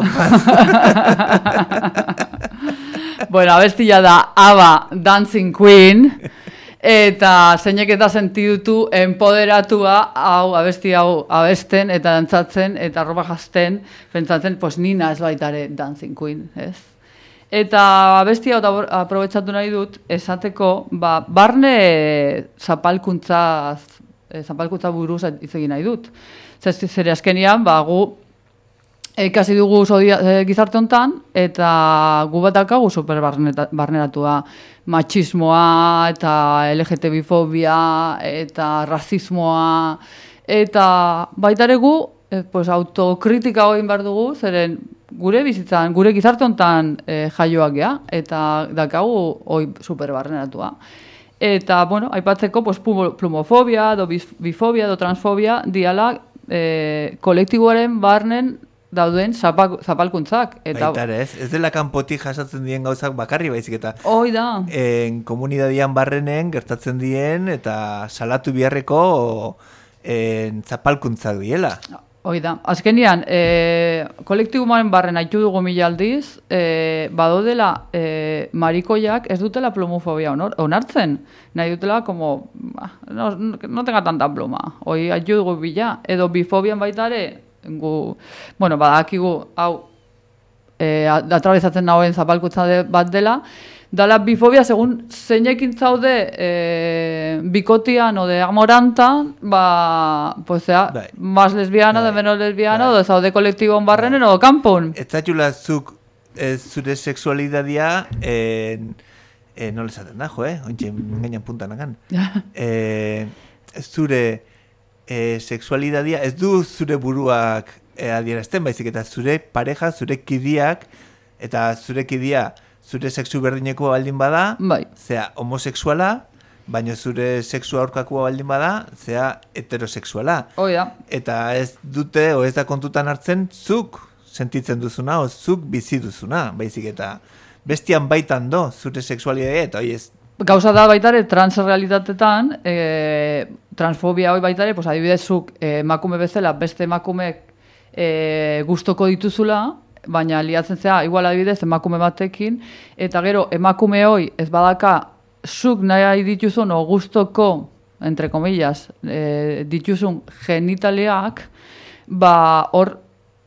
Bueno, abestia da Ava Dancing Queen eta zeinek eta sentidutu empoderatua hau abesti hau abesten eta dantzatzen eta roba jazten pentsatzen, pues nina ez baitare Dancing Queen, ez? Eta abestia hau aprobetxatu nahi dut esateko, ba, barne zapalkuntza zapalkuntza buruz hitz egin nahi dut. Zer azkenian, ba, gu ikasi dugu zodia, e, gizarte hontan eta gu bat daukagu super barneratua machismoa eta L G T B fobia eta razismoa eta baitare gu e, pues, autokritika egin behar dugu zeren gure bizitzan, gure gizarte hontan e, jaioak gea eta daukagu hoi super barneratua. Eta, bueno, aipatzeko pues, plumofobia, do bifobia, do transfobia diala e, kolektiboaren barnen dauden zapal, zapalkuntzak. Eta... Baitare, ez? Ez dela kanpotik jasatzen dien gauzak bakarri baizik eta... Hoi da. En komunidadian barrenen gertatzen dien eta salatu biharreko en, zapalkuntzak diela. Hoi da. Azkenian, e, kolektiboaren barren haitu dugu mila aldiz, e, badodela e, marikoiak ez dutela plumofobia onartzen. Nahi dutela, como, no, no tenga tanta pluma. Hoi haitu dugu bila. Edo bifobian baitare, gu, bueno, badakigu, hau, e, atrabesatzen nagoen zapalkuntza de, bat dela, dala bifobia, segun zeinekin zaude e, bikotian o de amorantan, ba, pues sea, bai. más lesbiana, bai. de menos lesbiana, bai. o de zaude kolektibon barrenen, bai. o kanpon. Ez zaitula zuk e, zure sexualidadia, e, e, nola esaten da, jo, eh? Ointxe, gainan puntan agan. e, zure e, sexualidadia, ez du zure buruak e, adierazten, baizik eta zure pareja, zure kidiak, eta zure kidia, zure sexu berdineko baldin bada, bai. zea homosexuala, baina zure sexu aurkakoa baldin bada, zea heterosexuala. Oh, ja. Eta ez dute, o ez da kontutan hartzen, zuk sentitzen duzuna, o zuk bizi duzuna, baizik eta bestian baitan do, zure sexualidadea, eta hoi ez. Gauza da baitare, transrealitatetan, e, transfobia hoi baitare, pues, adibidez zuk e, emakume bezala, beste emakumeek e, gustoko dituzula, baina liatzen zea, igual adibidez, emakume batekin, eta gero, emakume hoi ez badaka, zuk nahi dituzun, o gustoko, entre comillas, e, dituzun genitaleak, ba, hor,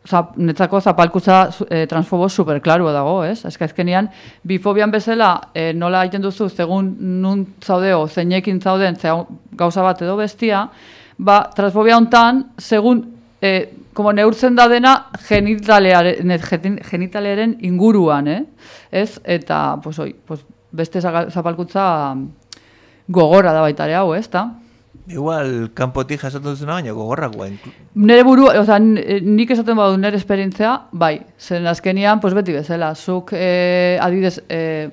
zap, netzako zapalkuza e, transfobo superklaru dago, ez? Ez azkenean, bifobian bezala, e, nola egiten duzu, segun nun zaudeo, zeinekin zauden, zea, gauza bat edo bestia, ba, transfobia hontan, segun, e, como neurtzen da dena genitalearen, genitalearen inguruan, eh? Ez? Eta, pues, oi, pues, beste zapalkuntza gogorra da baitare hau, ez da? Igual, kanpotik jasotzen duzuna, baina gogorra guen. Nere buru, oza, nik esaten badu nere esperientzia, bai, zen azkenian, pues beti bezala, zuk eh, adibidez, eh,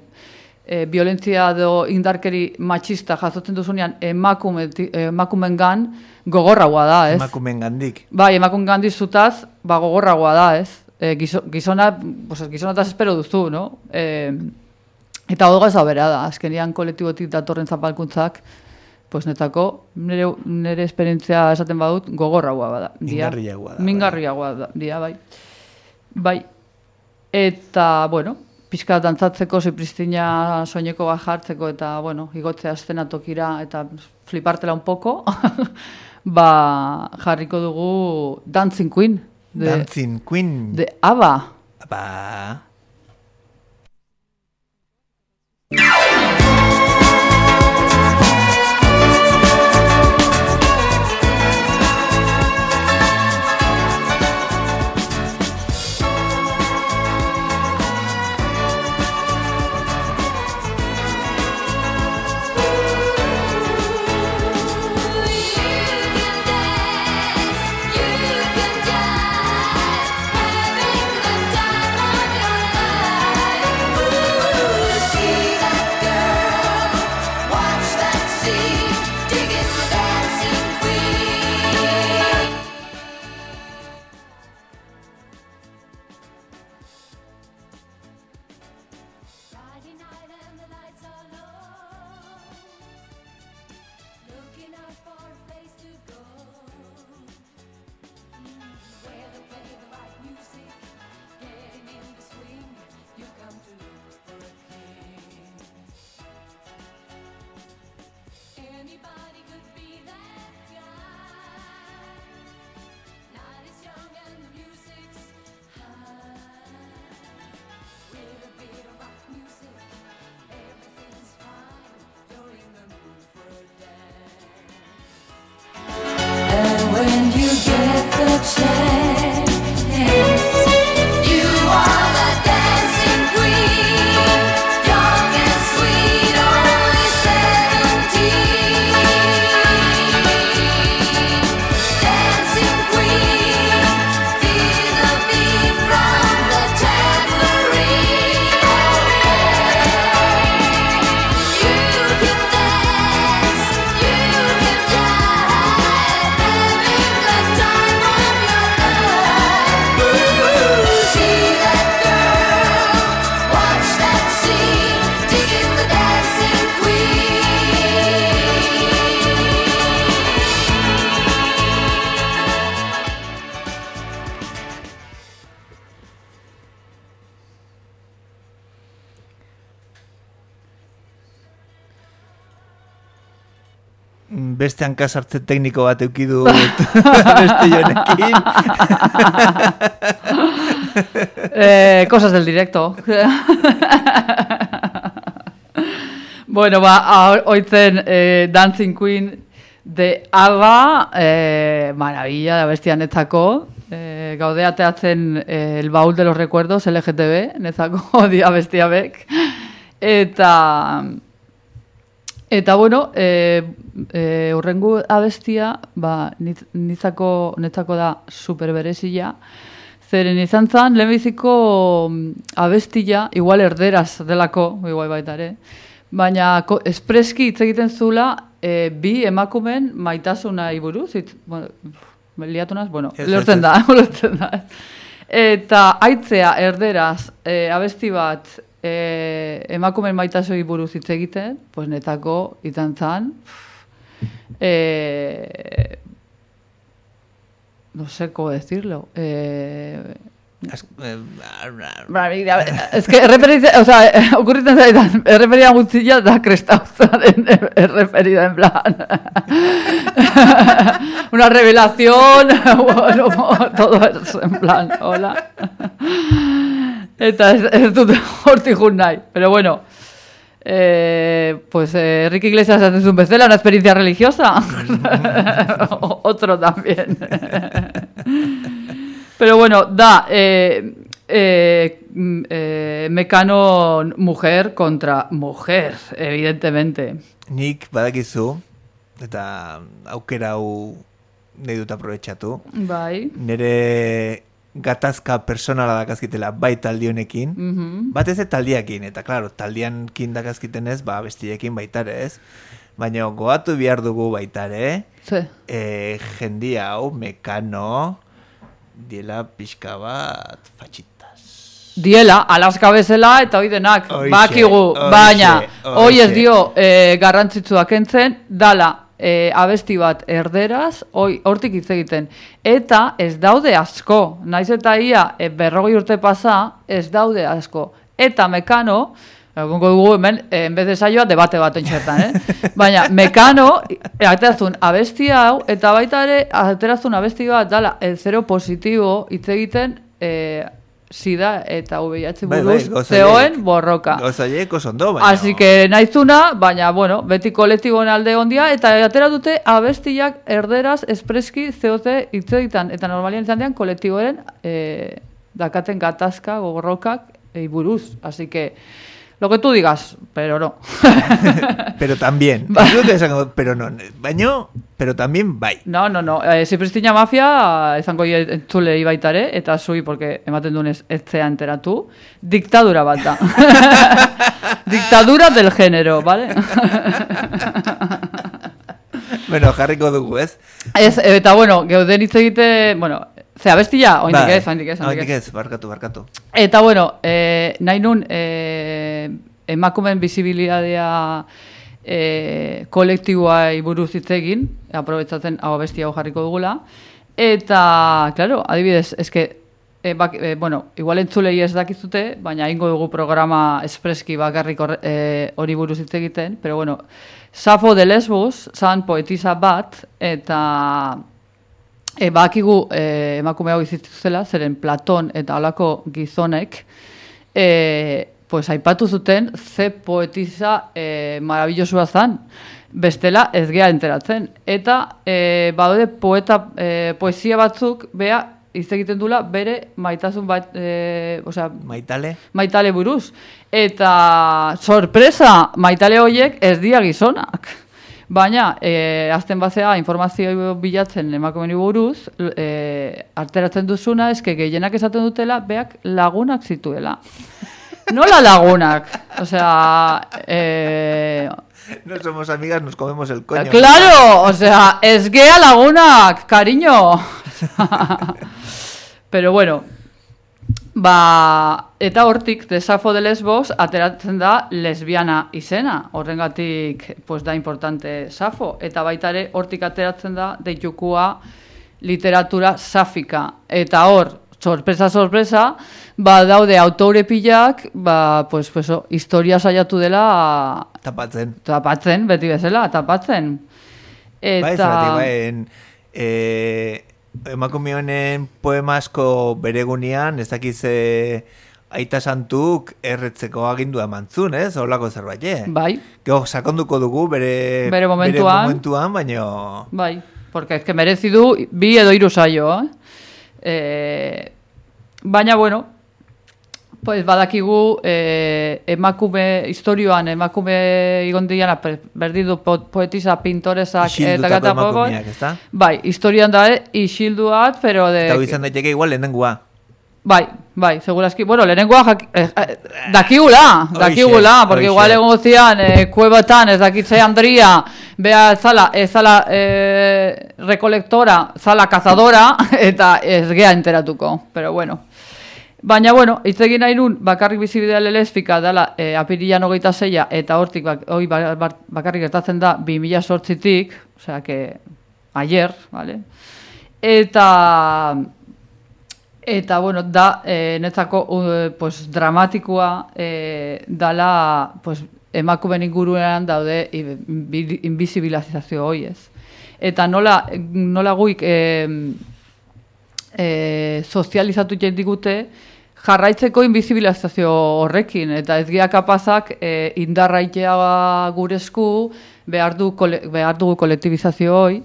eh, violentzia edo indarkeri matxista jasotzen duzunean emakume, emakumengan gogorragoa da, ez? Emakumengandik. Bai, emakumengandik zutaz, ba gogorragoa da, ez? E, gizona, pues, gizonataz espero duzu, no? E, eta hori gauza bera da, azkenian kolektibotik datorren zapalkuntzak, pues netako, nire, nire esperientzia esaten badut, gogorragoa bada. Mingarriagoa da. Mingarriagoa da, dia, bai. Bai. Eta, bueno, pixka dantzatzeko, zipristina soineko bat jartzeko, eta, bueno, igotzea eszenatokira, eta flipartela un poco, ba, jarriko dugu Dancing Queen. De, Dancing Queen. De ABBA. ABBA. Beste hankasartze tekniko bat eukidu beste jonekin. eh, cosas del directo. Bueno, ba, oitzen eh, Dancing Queen de ABBA, eh, maravilla, da bestia netzako, eh, gaude ateatzen eh, el baúl de los recuerdos, L G T B, netzako dia bestia bek, eta... Eta, bueno, e, e, urrengu abestia, ba, nitzako, netzako da superberezia, zeren izan zan, lehenbiziko abestia, igual erderaz delako, igual baita ere, baina ko, espreski hitz egiten zula, e, bi emakumen maitasuna iburuz, itz, bueno, liatu naz, bueno, lortzen da, lortzen da. Eta aitzea erderaz e, abesti bat, Eh, emakumen maitasoi buruz hitz egiten, pues netako izan zan, eh, no sé cómo decirlo, eh, es que erreferitza, o sea, okurritzen zaitan, erreferia guztia da krestauzaren erreferida, en plan, una revelación, bueno, todo eso, en plan, hola. Eta ez, ez dut hortik jun nahi. Pero bueno, eh, pues eh, Enrique Iglesias hace un bezala, una experiencia religiosa. Otro también. Pero bueno, da, eh, eh, eh, Mekano mujer contra mujer, evidentemente. Nik badakizu, eta aukera hau nahi dut aprobetxatu. Bai. Nere... gatazka personala dakazkitela bai taldi honekin, mm-hmm. batez ez taldiakin, eta klaro, taldiankin dakazkiten ez, ba, bestiekin baitare ez, baina goatu behar dugu baitare, sí. e, jendia hau, Mekano, diela pixka bat fatxitas. Diela, alaska bezala eta hoi denak, bakigu, baina, hoi ez dio e, garrantzitsuak entzen, dala, E, abesti bat erderaz, hoi, hortik hitz egiten. Eta ez daude asko, naiz eta ia e, berrogei urte pasa, ez daude asko. Eta Mekano, egongo dugu hemen, e, enbez de saioa, debate bat entxertan, eh? Baina, Mekano, e, aterazun abesti hau, eta baita ere, aterazun abesti bat, dala, el zero positibo hitz egiten, e, sida eta V I H buruz bai, bai, zeoen borroka. Gozaiek osondo, baina... Así que naizuna, baina, bueno, beti kolektiboen alde ondia, eta atera dute abestiak erderaz espreski zeote hitz egiten, eta normalien izan dian kolektiboen eh, dakaten gatazka, borrokak, e, buruz. Así que, lo que tú digas, pero no. Pero también. Pero no, baino... Pero también bai. No, no, no. Eh, si Pristina Mafia, izango entzule ibaitare, eta zui, porque ematen dunez etzea enteratu, diktadura bat da. Diktadura del género, ¿vale? Bueno, jarriko dugu, ez? Ez, eta bueno, geuden hitz egite, bueno, ze abestia, oindik ez, oindik ez, oindik ez, barkatu, barkatu. Eta bueno, eh, nahi nun, eh, emakumen bizibilidadea E, kolektiboa buruz hitz egin, aprobetzatzen hau bestia hau jarriko dugula, eta, claro, adibidez, eske, e, bak, e, bueno, igual entzulei ez dakizute, baina ingo dugu programa espreski bakarrik hori e, buruz hitz egiten, pero bueno, Safo de Lesbos, zan poetisa bat, eta e, bakigu e, emakume hau izituzela, zeren Platon eta holako gizonek, e, pues aipatu zuten ze poetisa eh, maravillosua zan, bestela ez gea enteratzen. Eta eh, badode poeta, eh, poesia batzuk, bea, hitz egiten dula, bere maitasun bat, eh, osea, maitale? Maitale buruz. Eta sorpresa, maitale horiek ez dia gizonak. Baina, eh, azten bazea informazio bilatzen emakumeni buruz, eh, arteratzen duzuna, eske gehienak esaten dutela, beak lagunak zituela. Nola lagunak, o sea, eh... no somos amigas, nos comemos el coño. Claro, o sea, es gea lagunak, cariño. Pero bueno, ba, eta hortik, de Safo de Lesbos, ateratzen da lesbiana izena, horrengatik, pues da importante Safo, eta baitare hortik ateratzen da deitukua literatura safika, eta hor, sorpresa, sorpresa, ba, daude autore pilak, ba, pues, pues, o, historia saiatu dela... Tapatzen. Tapatzen, beti bezala, tapatzen. Eta... Bai, zeratik, bai, e, emakume honen poema asko beregunian, ez dakiz e, aita santuk erretzeko agindua emantzun, ez? Horlako zerbait, eh? Bai. Gero, sakonduko dugu bere, bere momentuan, bere momentuan baino... Bai, porque ez que merezi du bi edo hiru saio, eh? Eh, baina, bueno, pues badakigu eh, emakume, historioan emakume igondiana berdidu po, poetisa, pintoresak eta gata poco. Bai, historian da, eh, isilduat, pero de... Eta izan daiteke igual lehenengua. Bai, bai, segurazki. Bueno, lehenengoa jak... Eh, eh, dakigula, dakigula, porque igual egon zian eh, kuebatan, ez dakitze Andria, bea zala, ez zala eh, rekolektora, zala cazadora, eta ez gea enteratuko, pero bueno. Baina, bueno, hitz egin nahi nun, bakarrik bizibidea lesbika dela eh, apirilan hogeita zeia, eta hortik bak, hoi bakarrik gertatzen da bi mila zortzitik, osea, que ayer, vale? Eta... Eta, bueno, da, eh, netzako, uh, pues, dramatikoa eh, dala, pues, emakumen inguruan daude invisibilizazio hoi ez. Eta nola, nola guik eh, eh, sozializatu jendigute jarraitzeko invisibilizazio horrekin. Eta ez gira kapazak eh, indarraitea guresku behar, du, behar dugu kolektibizazio hoi.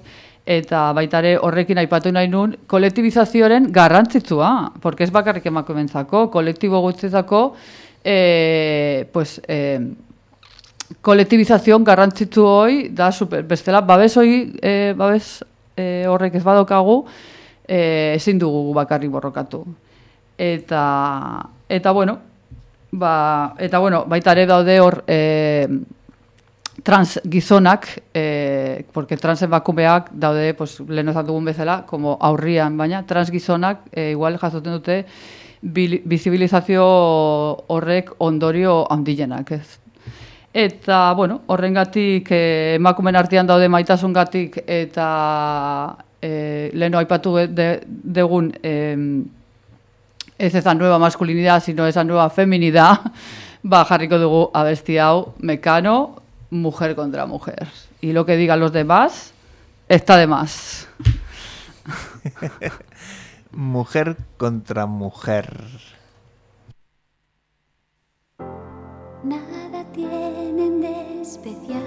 Eta baitare horrekin aipatu nahi nun, kolektibizazioaren garrantzitsua, porque ez bakarrik emakumentzako, kolektibo guztietako, eh, pues, eh, kolektibizazioan garrantzitsu hoi, da super, bestela, babes hoi, eh, babes eh, horrek ez badokagu, eh, ezin dugu bakarrik borrokatu. Eta, eta bueno, ba, eta bueno, baitare daude hor, eh, trans gizonak, eh, porque trans emakumeak daude, pues, lehen ozat dugun bezala, como aurrian, baina trans gizonak eh, igual jasoten dute bizibilizazio horrek ondorio handienak, ez. Eta, bueno, horrengatik eh, emakumen artean daude maitasungatik eta eh, lehen aipatu de, degun eh, ez eza nueva masculinidad, sino esa nueva feminidad, ba, jarriko dugu abesti hau, Mekano, mujer contra mujer. Y lo que digan los demás está de más. Mujer contra mujer. Nada tienen de especial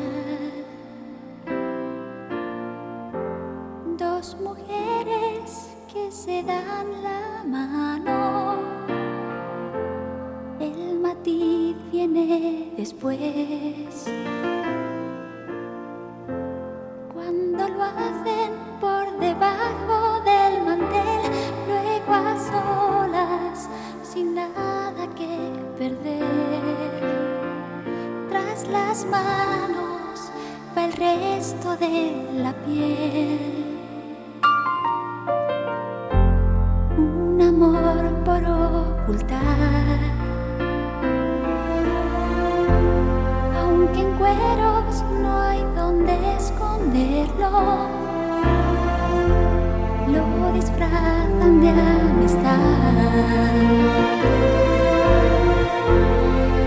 dos mujeres que se dan la mano. El matiz viene después. Cuando lo hacen por debajo del mantel, luego a solas, sin nada que perder. Tras las manos va el resto de la piel. Un amor por ocultar, aunque en cueros no hay donde esconderlo, lo disfrazan de amistad.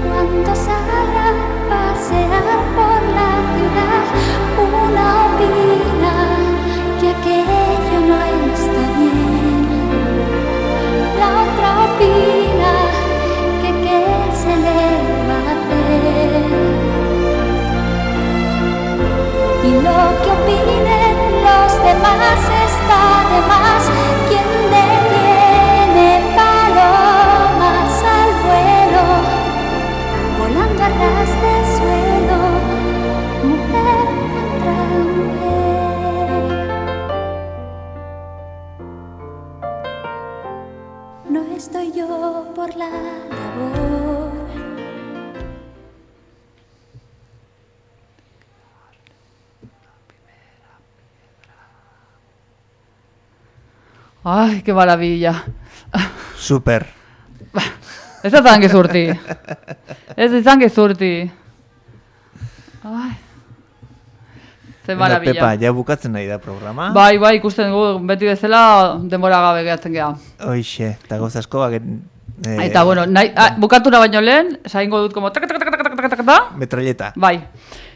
Cuando salga a pasear por la ciudad, una opina que aquello no está bien, la otra opina que qué se le va a hacer. Y lo que opinen los demás está de más. Quien detiene palomas al vuelo, volando a ras de suelo, mujer contra mujer. No estoy yo por la labor. Ay, qué maravilla. Super. Ez izan gezurti. Ez izan gezurti. Ai. Ze maravilla. Pepa, ja bukatzen nahi da programa. Bai, bai, ikusten dugu, beti bezala denbora gabe gehatzen geha. Hoixe, eta gauz asko, eh, eta, bueno, nahi, ah, bukatura baino lehen, saingo dut como tak tak tak tak tak tak tak. Metralleta. Bai.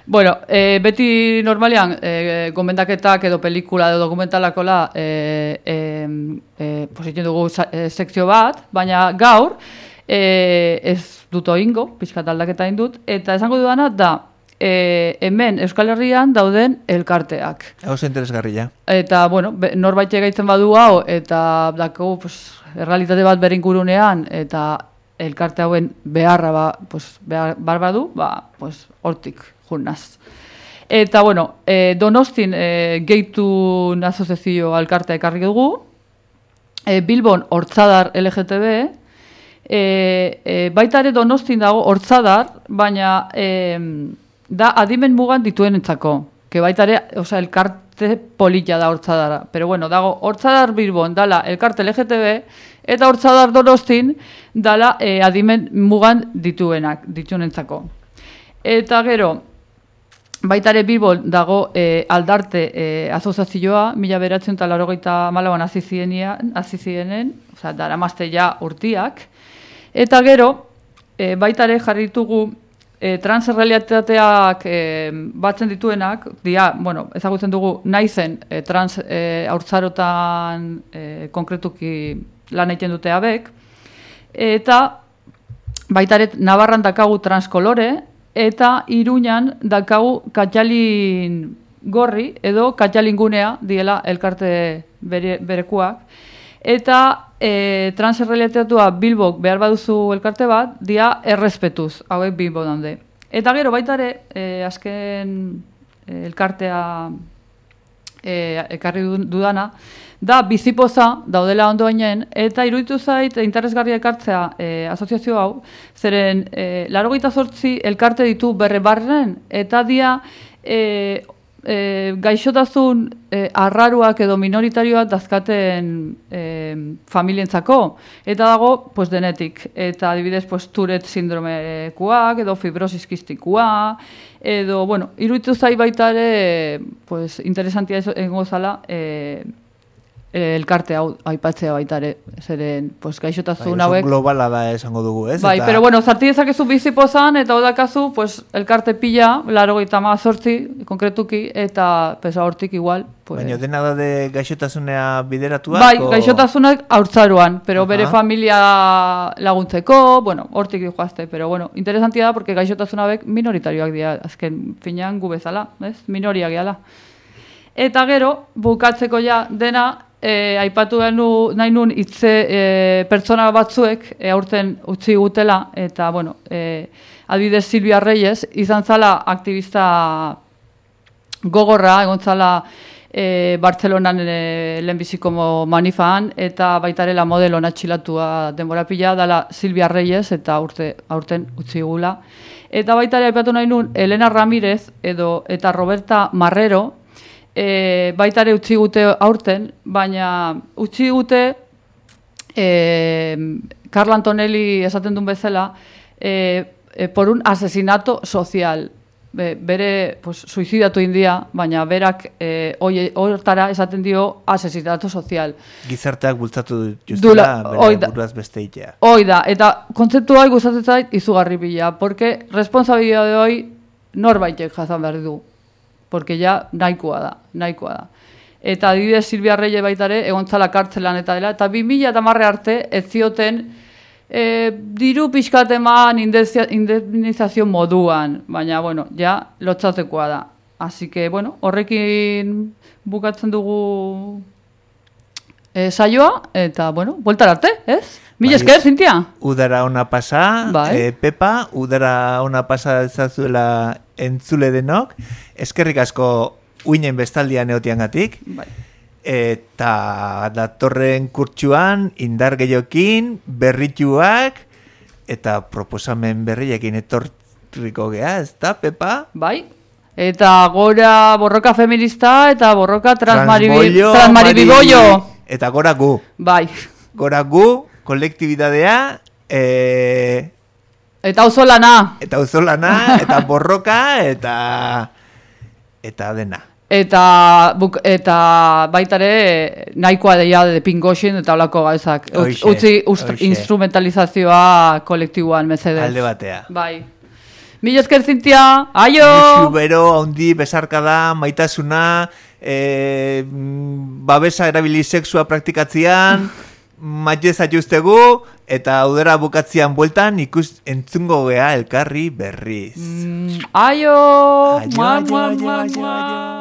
Bueno, eh, beti normalean eh, gomendaketak edo pelikula edo dokumentalakola eh, eh, eh, positzen dugu eh, sekzio bat, baina gaur e, ez dut oingo, pixkat aldaketa indut, eta esango dudana da, E, hemen Euskal Herrian dauden elkarteak. Oso interesgarria. Eta, bueno, be, norbait egaitzen badu hau, eta dako, pues, errealitate bat beringurunean, eta elkarte hauen beharra ba, pues, behar, bar badu, ba, pues, hortik jurnaz. Eta, bueno, e, Donostin e, Geitun asoziazio elkartea ekarri dugu, e, Bilbon Hortzadar L G T B, e, e, baita ere Donostin dago Hortzadar, baina e, da adimen mugan dituen entzako. Que baita ere, oza, elkarte polilla da Hortzadara. Pero bueno, dago Hortzadar Bilbon dala elkarte L G T B, eta Hortzadar Donostin dala e, adimen mugan dituenak, dituen-entzako. Eta gero, baita ere Bilbon dago e, aldarte e, asoziazioa, mila beratzen eta laurogeita malauan azizienen, oza, dara mazte ja urtiak. Eta gero, e, baita ere jarritugu E, transrealitateak e, batzen dituenak, dia, bueno, ezagutzen dugu naizen e, trans e, haurtzarotan e, konkretuki lan egiten dute abek, eta baita ere Navarran dakagu transkolore, eta Iruñan dakagu katxalin gorri, edo katxalingunea diela elkarte bere, berekuak, eta e, transrealitatea Bilbok behar baduzu elkarte bat, dia errespetuz, hauek Bilbo daude. Eta gero baita ere, e, azken e, elkartea e, ekarri dudana, da bizipoza daudela ondoainen, eta iruditu zait interesgarria ekartzea e, asoziazio hau, zeren e, laurogeita zortzi elkarte ditu berre barren, eta dia e, E, gaixotasun e, arraruak edo minoritarioak dazkaten e, familientzako. Eta dago, pues, denetik. Eta adibidez, pues, Tourette sindromekuak, edo fibrosis kistikoa, edo, bueno, iruditu zai baita ere, pues, interesantia egongo zala, e, elkarte hau aipatzea baita ere, zeren, pues, gaixotasun hauek. Oso globala da esango dugu, ez? Bai, eta... pero bueno, zarti dezakezu bizipozan, eta odakazu, pues, elkarte pila, laurogeita hamazortzi, konkretuki, eta pesa hortik igual. Pues... Baina dena da de gaixotasunea bideratuak? Bai, o... gaixotasunak haurtzaroan, pero Aha. bere familia laguntzeko, bueno, hortik joazte, pero bueno, interesantia da, porque gaixotasunabek minoritarioak dira, azken finean gu bezala, ez? Minoriak gehala. Eta gero, bukatzeko ja dena, E, aipatu genu nahi nun hitze e, pertsona batzuek e, aurten utzi gutela, eta bueno, e, adibidez Silvia Reyes izan zala aktivista gogorra, egon zala e, Bartzelonan e, lehenbiziko manifaan, eta baitarela modelo natxilatua denbora pila, dala Silvia Reyes, eta urte, aurten utzi gula. Eta baitare aipatu nahi nun Elena Ramirez edo eta Roberta Marrero, E, baitare utzi gute aurten, baina utzi gute e, Carla Antonelli esaten duen bezala e, e, por un asesinato social. Be, bere pues, suizidatu india, baina berak e, hortara esaten dio asesinato social. Gizarteak bultzatu justela bere buruaz beste itea. Hoi da, eta kontzeptu hori gustatzen zait izugarri bila, porque responsabilidade hori norbaitek jazan behar du. Porque ja nahikoa da, nahikoa da. Eta adibidez Silvia Reyes baitare egontzala kartzelan eta dela, eta bi mila hamar arte ez zioten e, diru pixkat eman indemnizazio moduan, baina, bueno, ja lotzatekoa da. Así que, bueno, horrekin bukatzen dugu e, saioa, eta, bueno, bueltar arte, ez? Mila esker, Zintia? Udara ona pasa, bai. e, Pepa, udara ona pasa ezazuela entzule denok, eskerrik asko uinen bestaldian eotiangatik, bai. Eta datorren kurtsuan indar gehiokin, berrituak, eta proposamen berriekin etorriko gea, ez da, Pepa? Bai, eta gora borroka feminista eta borroka transmaribibollo. Eta gora gu. Bai. Gora gu, kolektibidadea, e... eta auzolana. Eta auzolana, eta borroka, eta eta dena. Eta buk, eta baitare nahikoa deia de pingoxin eta holako gauzak. Utzi instrumentalizazioa kolektiboan mesedez. Alde batea. Bai. Mila esker, Zintia. Aio! Xubero, handi, besarkada, maitasuna, e, babesa erabili sexua praktikatzean, Maite zaituztegu, eta udara bukatzean bueltan ikus entzungo gea elkarri berriz. Mm, aio! Aio, Mua, aio, mua, aio, mua, aio, mua. aio.